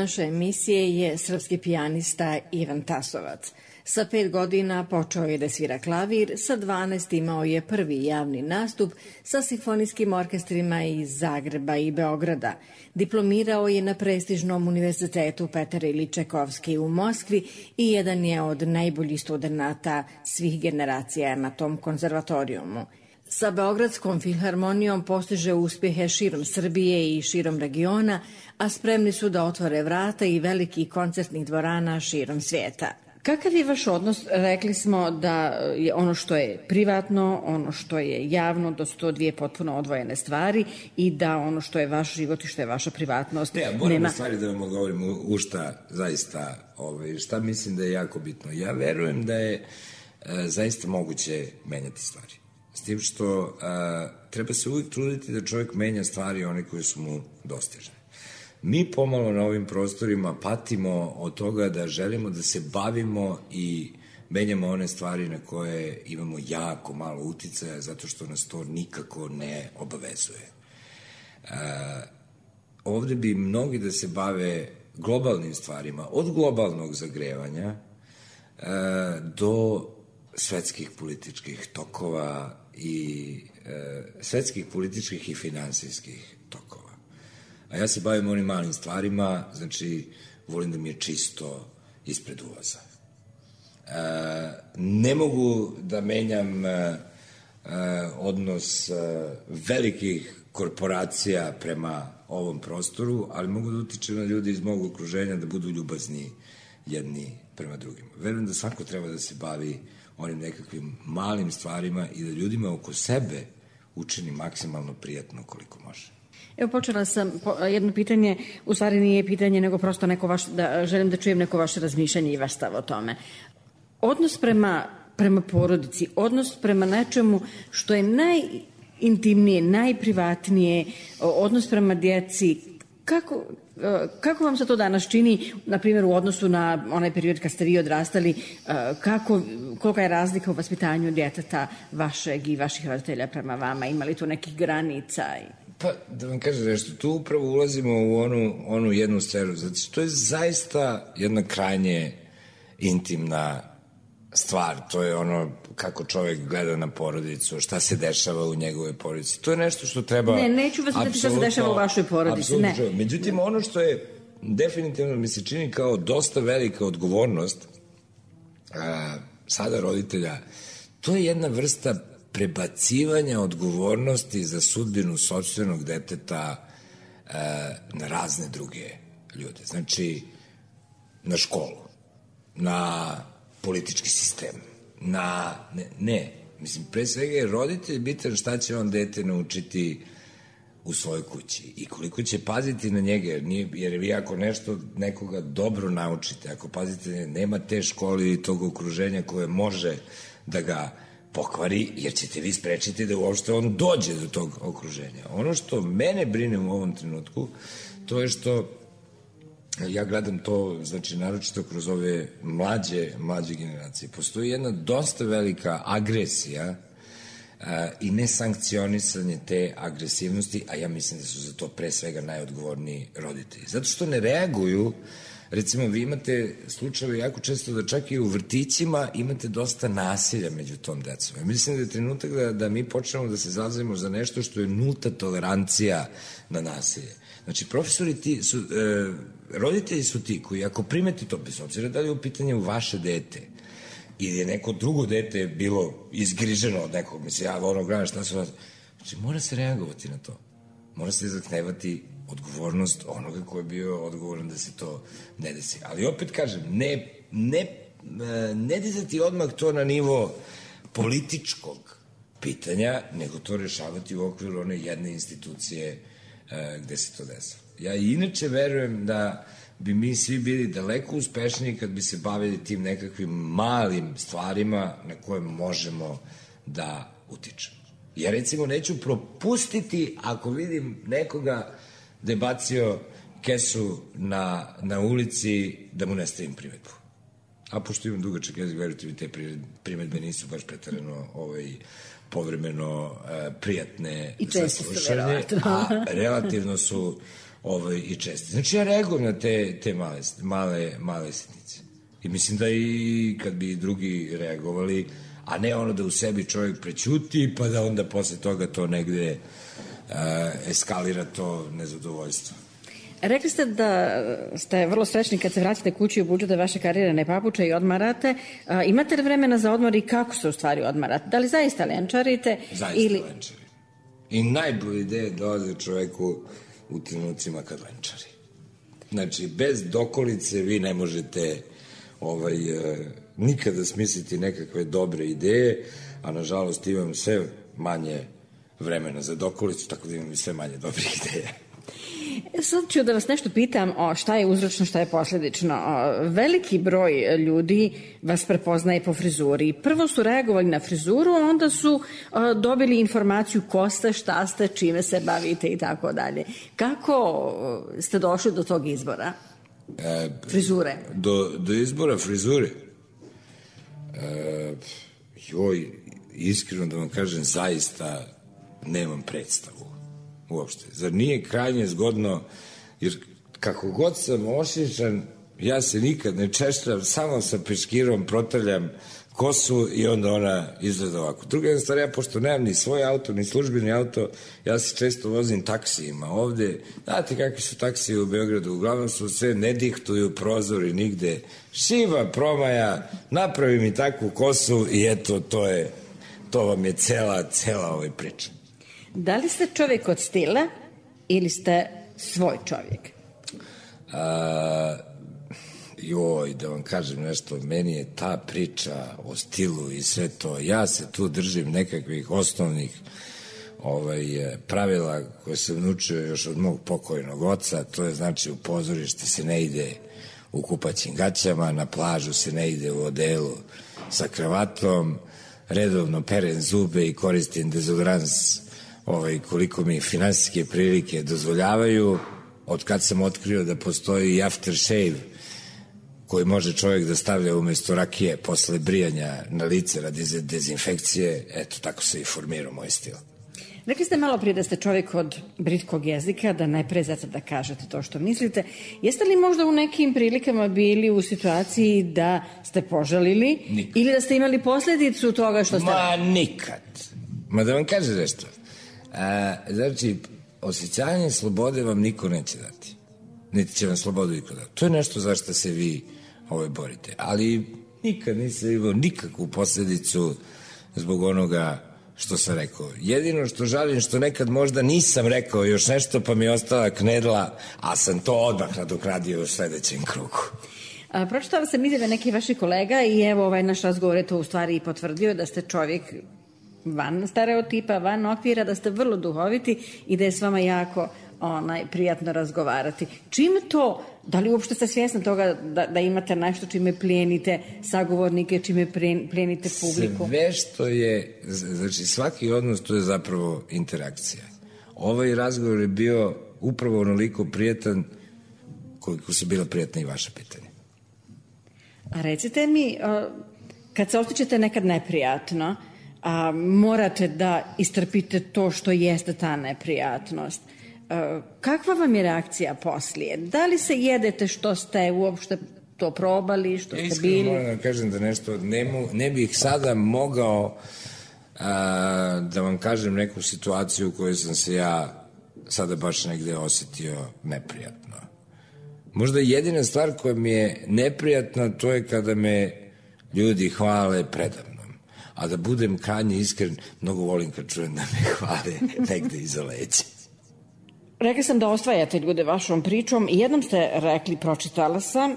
naše emisije je srpski pijanista Ivan Tasovac. Sa pet godina počeo je da svira klavir, sa dvanaest imao je prvi javni nastup sa simfonijskim orkestrima iz Zagreba i Beograda. Diplomirao je na prestižnom univerzitetu Petar Iljič Čajkovski u Moskvi i jedan je od najboljih studenata svih generacija na tom konzervatorijumu. Sa Beogradskom filharmonijom postiže uspjehe širom Srbije i širom regiona, a spremni su da otvore vrata i velikih koncertnih dvorana širom svijeta. Kakav je vaš odnos? Rekli smo da je ono što je privatno, ono što je javno, da su to dvije potpuno odvojene stvari i da ono što je vaš život i što je vaša privatnost. Ne, moram nema... stvari da vam odgovorim u, u šta zaista, ovaj, šta mislim da je jako bitno. Ja verujem da je e, zaista moguće menjati stvari. S tim što a, treba se uvijek truditi da čovjek menja stvari one koje su mu dostižne. Mi pomalo na ovim prostorima patimo od toga da želimo da se bavimo i menjamo one stvari na koje imamo jako malo uticaja zato što nas to nikako ne obavezuje. A, ovde bi mnogi da se bave globalnim stvarima, od globalnog zagrevanja a, do svetskih političkih tokova i e, svetskih političkih i finansijskih tokova. A ja se bavim onim malim stvarima, znači volim da mi je čisto ispred ulaza. E, ne mogu da menjam e, e, odnos e, velikih korporacija prema ovom prostoru, ali mogu da utičem na ljudi iz mog okruženja da budu ljubazni jedni prema drugima. Verujem da svako treba da se bavi onim nekakvim malim stvarima i da ljudima oko sebe učini maksimalno prijatno koliko može. Evo, počela sam jedno pitanje, u stvari nije pitanje, nego prosto neko vaš, da, želim da čujem neko vaše razmišljanje i vaš stav o tome. Odnos prema, prema porodici, odnos prema nečemu što je najintimnije, najprivatnije, odnos prema djeci, kako... Kako vam se to danas čini, na primjer, u odnosu na onaj period kad ste vi odrastali, kako, kolika je razlika u vaspitanju djeteta vašeg i vaših roditelja prema vama? Ima li tu nekih granica? Pa, da vam kažem nešto, tu upravo ulazimo u onu, onu jednu sferu, zato što to je zaista jedna krajnje intimna stvar, to je ono kako čovjek gleda na porodicu, šta se dešava u njegove porodici. To je nešto što treba... Ne, neću vas pitati šta se dešava u vašoj porodici, ne. Međutim, ono što je definitivno mi se čini kao dosta velika odgovornost a, sada roditelja, to je jedna vrsta prebacivanja odgovornosti za sudbinu sopstvenog deteta a, na razne druge ljude. Znači, na školu, na politički sistem, na... Ne, ne, mislim, pre svega je roditelj bitan šta će on dete naučiti u svojoj kući i koliko će paziti na njega, jer, nije, jer vi ako nešto nekoga dobro naučite, ako pazite, nema te škole ili tog okruženja koje može da ga pokvari, jer ćete vi sprečiti da uopšte on dođe do tog okruženja. Ono što mene brine u ovom trenutku, to je što ja gledam to, znači, naročito kroz ove mlađe, mlađe generacije. Postoji jedna dosta velika agresija a, i nesankcionisanje te agresivnosti, a ja mislim da su za to pre svega najodgovorniji roditelji. Zato što ne reaguju, recimo, vi imate slučajeve jako često da čak i u vrtićima imate dosta nasilja među tom decom. Ja mislim da je trenutak da, da mi počnemo da se zalazimo za nešto što je nulta tolerancija na nasilje. Znači, profesori ti su, e, roditelji su ti koji ako primeti to, bez obzira da li je u pitanju vaše dete ili je neko drugo dete bilo izgriženo od nekog, mislim, ja ono gledam šta su vas... Znači, mora se reagovati na to. Mora se zahtevati odgovornost onoga ko je bio odgovoran da se to ne desi. Ali opet kažem, ne, ne, ne dizati odmah to na nivo političkog pitanja, nego to rešavati u okviru one jedne institucije gde se to desilo. Ja inače verujem da bi mi svi bili daleko uspešniji kad bi se bavili tim nekakvim malim stvarima na koje možemo da utičemo. Ja recimo neću propustiti ako vidim nekoga da je bacio kesu na, na ulici da mu ne stavim primetbu. A pošto imam dugačak jezik, verujte mi, te primetbe nisu baš pretarano ovaj, povremeno uh, prijatne za slušanje, a relativno su ovaj, i česti. Znači ja reagujem na te, te male, male, male sitnice. I mislim da i kad bi drugi reagovali, a ne ono da u sebi čovjek prećuti, pa da onda posle toga to negde uh, eskalira to nezadovoljstvo. Rekli ste da ste vrlo srećni kad se vratite kući i obučete vaše karijere ne papuče i odmarate. A, imate li vremena za odmor i kako se u stvari odmarate? Da li zaista lenčarite? Zaista ili... lenčari. I najbolje ideje dolaze čoveku u trenucima kad lenčari. Znači, bez dokolice vi ne možete ovaj, nikada smisliti nekakve dobre ideje, a nažalost imam sve manje vremena za dokolicu, tako da imam i sve manje dobrih ideja. Sad ću da vas nešto pitam o šta je uzročno, šta je posledično. O, veliki broj ljudi vas prepoznaje po frizuri. Prvo su reagovali na frizuru, onda su o, dobili informaciju ko ste, šta ste, čime se bavite i tako dalje. Kako o, ste došli do tog izbora? E, frizure? Do, do izbora frizure? E, joj, iskreno da vam kažem, zaista nemam predstavu. Uopšte. Zar nije krajnje zgodno, jer kako god sam ošišan, ja se nikad ne češljam, samo sa peškirom protrljam kosu i onda ona izgleda ovako. Druga jedna stvar, ja pošto nemam ni svoj auto, ni službeni auto, ja se često vozim taksijima ovde. Znate kakvi su taksiji u Beogradu, uglavnom su sve, ne dihtuju prozori nigde. Šiva, promaja, napravi mi takvu kosu i eto, to je, to vam je cela, cela ovaj priča. Da li ste čovjek od stila ili ste svoj čovjek? A, joj, da vam kažem nešto, meni je ta priča o stilu i sve to, ja se tu držim nekakvih osnovnih ovaj, pravila koje sam naučio još od mog pokojnog oca, to je znači u pozorište se ne ide u kupaćim gaćama, na plažu se ne ide u odelu sa kravatom, redovno perem zube i koristim dezodorans ovaj, koliko mi finansijske prilike dozvoljavaju. Od kad sam otkrio da postoji i aftershave koji može čovjek da stavlja umesto rakije posle brijanja na lice radi dezinfekcije, eto tako se i formirao moj stil. Rekli ste malo prije da ste čovjek od britkog jezika, da ne prezate da kažete to što mislite. Jeste li možda u nekim prilikama bili u situaciji da ste požalili nikad. Ili da ste imali posljedicu toga što ste... Ma nikad. Ma da vam kaže nešto. A, znači, osjećanje slobode vam niko neće dati. Niti će vam slobodu niko dati. To je nešto za što se vi ovaj, borite. Ali nikad nisam imao nikakvu posljedicu zbog onoga što sam rekao. Jedino što žalim što nekad možda nisam rekao još nešto pa mi je ostala knedla, a sam to odmah nadoknadio u sledećem krugu. A, pročitala sam izjave nekih vaših kolega i evo ovaj naš razgovor je to u stvari i potvrdio da ste čovjek van stereotipa, van okvira, da ste vrlo duhoviti i da je s vama jako onaj, prijatno razgovarati. Čim to, da li uopšte ste svjesni toga da, da imate nešto čime plijenite sagovornike, čime plijenite publiku? Sve što je, znači svaki odnos to je zapravo interakcija. Ovaj razgovor je bio upravo onoliko prijatan koliko su bila prijatna i vaše pitanje. A recite mi, kad se osjećate nekad neprijatno, a morate da istrpite to što jeste ta neprijatnost, kakva vam je reakcija poslije? Da li se jedete što ste uopšte to probali, što ste bili? Iskreno moram da kažem da nešto ne, mo, ne bih sada mogao a, da vam kažem neku situaciju u kojoj sam se ja sada baš negde osjetio neprijatno. Možda jedina stvar koja mi je neprijatna to je kada me ljudi hvale predavnom. A da budem krajnje iskren, mnogo volim kad čujem da me hvale negde iza leđa. Rekli sam da osvajate ljude vašom pričom i jednom ste rekli, pročitala sam,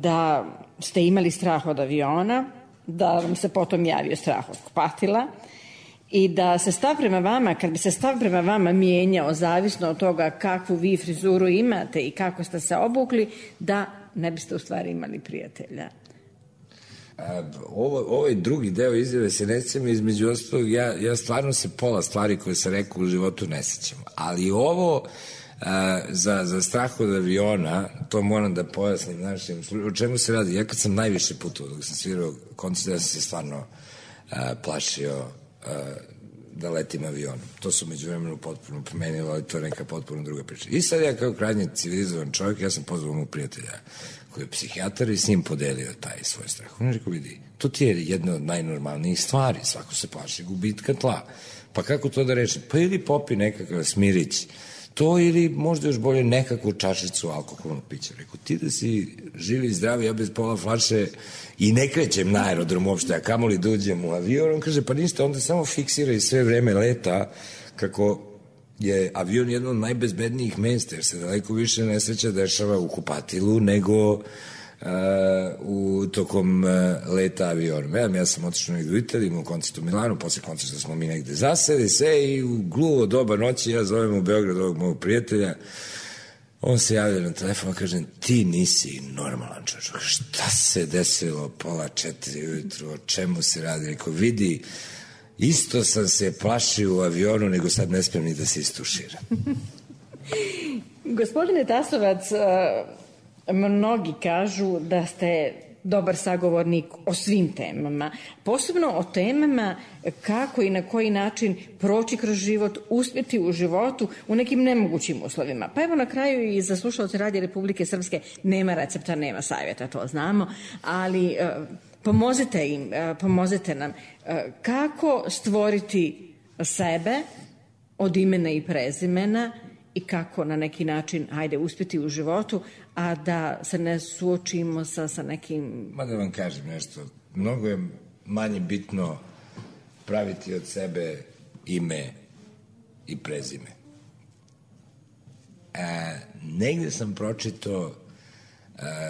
da ste imali strah od aviona, da vam se potom javio strah od kupatila i da se stav prema vama, kad bi se stav prema vama mijenjao zavisno od toga kakvu vi frizuru imate i kako ste se obukli, da ne biste u stvari imali prijatelja. A, ovo, ovaj drugi deo izjave se ne sjećam, između ostalog ja, ja stvarno se pola stvari koje sam rekao u životu ne sjećam, ali ovo a, za, za strah od aviona, to moram da pojasnim našim, o čemu se radi. Ja kad sam najviše putovao dok sam svirao koncert, ja sam se stvarno a, plašio a, da letim avionom. To su među vremenu potpuno promenilo, ali to je neka potpuno druga priča. I sad ja kao krajnje civilizovan čovjek, ja sam pozvao mog prijatelja koji je psihijatar i s njim podelio taj svoj strah. On je rekao, vidi, to ti je jedna od najnormalnijih stvari, svako se plaši gubitka tla. Pa kako to da rešim? Pa ili popi nekakav smirić, to ili možda još bolje nekakvu čašicu alkoholnog pića. Rekao, ti da si živi i zdravi, ja bez pola flaše i ne krećem na aerodrom uopšte, a kamoli da uđem u avion. On kaže, pa ništa, onda samo fiksiraj sve vreme leta kako je avion jedno od najbezbednijih mesta, jer se daleko više nesreća dešava u kupatilu nego Uh, u tokom uh, leta avionom. Ja, ja sam otišao negde u Italiji, imao koncert u Milanu, posle koncerta smo mi negde zaseli se i u gluvo doba noći ja zovem u Beograd ovog mojeg prijatelja. On se javlja na telefon i kaže, ti nisi normalan čovjek. Šta se desilo pola četiri ujutru, o čemu se radi? Rekao, vidi, isto sam se plašio u avionu, nego sad ne smijem ni da se istuširam. Gospodine Tasovac, mnogi kažu da ste dobar sagovornik o svim temama, posebno o temama kako i na koji način proći kroz život, uspjeti u životu u nekim nemogućim uslovima. Pa evo na kraju i za slušalce Radija Republike Srpske nema recepta, nema savjeta, to znamo, ali pomozite im, pomozite nam kako stvoriti sebe od imena i prezimena i kako na neki način, hajde, uspjeti u životu, a da se ne suočimo sa, sa nekim... Ma da vam kažem nešto, mnogo je manje bitno praviti od sebe ime i prezime. E, negde sam pročitao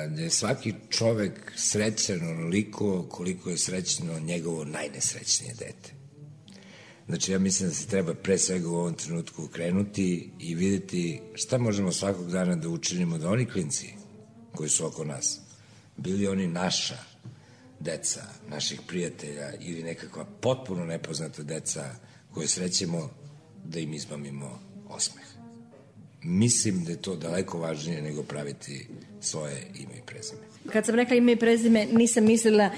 da je svaki čovek srećan onoliko koliko je srećno njegovo najnesrećnije dete. Znači, ja mislim da se treba pre svega u ovom trenutku krenuti i videti šta možemo svakog dana da učinimo da oni klinci koji su oko nas, bili oni naša deca, naših prijatelja ili nekakva potpuno nepoznata deca koje srećemo, da im izmamimo osmeh. Mislim da je to daleko važnije nego praviti svoje ime i prezime. Kad sam rekla ime i prezime, nisam mislila uh,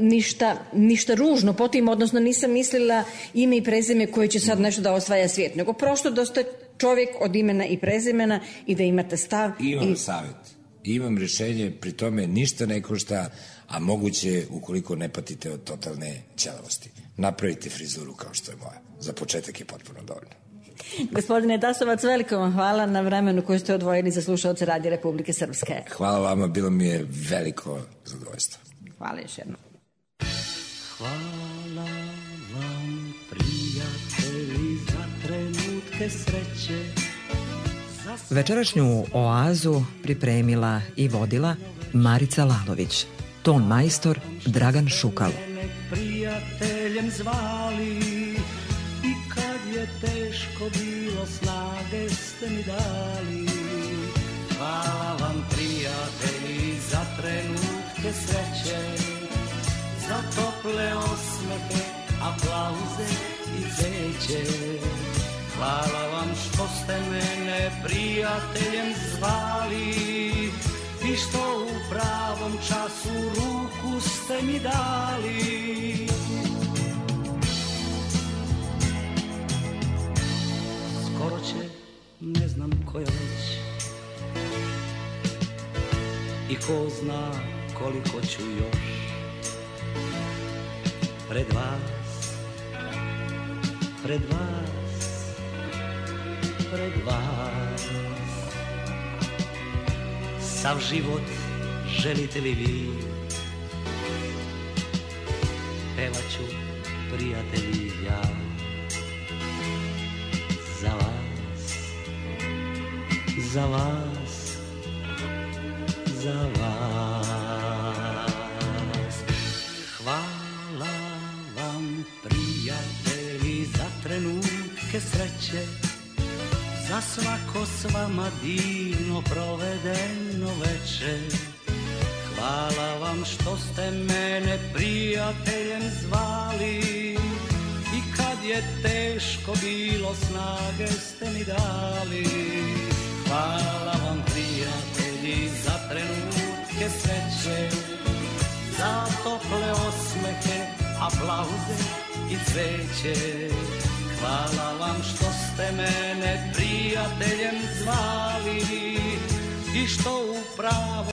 ništa, ništa ružno po tim, odnosno nisam mislila ime i prezime koje će sad nešto da osvaja svijet, nego prosto da ste čovjek od imena i prezimena i da imate stav. Imam i... savjet, imam rješenje, pri tome ništa ne košta, a moguće ukoliko ne patite od totalne ćelavosti. Napravite frizuru kao što je moja. Za početak je potpuno dovoljno. Gospodine Tasovac, veliko vam hvala na vremenu koje ste odvojili za slušalce Radija Republike Srpske. Hvala vama, bilo mi je veliko zadovoljstvo. Hvala još jednom. Hvala vam, prijatelji, za trenutke sreće. Večerašnju oazu pripremila i vodila Marica Lalović, ton majstor Dragan Šukal. Prijateljem zvali i kad je teško bilo, snage ste mi dali. Hvala vam, prijatelji, za trenutke sreće, za tople osmehe, aplauze i cveće. Hvala vam što ste mene prijateljem zvali i što u pravom času ruku ste mi dali. Skoro će, ne znam koja već, i ko zna koliko ću još pred vas, pred vas, pred vas. Sav život želite li vi, pevat ću, prijatelji, ja za vas, za vas, za vas. Hvala vam, prijatelji, za trenutke sreće, za svako s vama divno provedeno veče. Hvala vam što ste mene prijateljem zvali i kad je teško bilo, snage ste mi dali. Hvala vam, prijatelji, za trenutke sreće, za tople osmehe, aplauze i cveće. hvala vam što ste mene prijateljem zvali i što upravo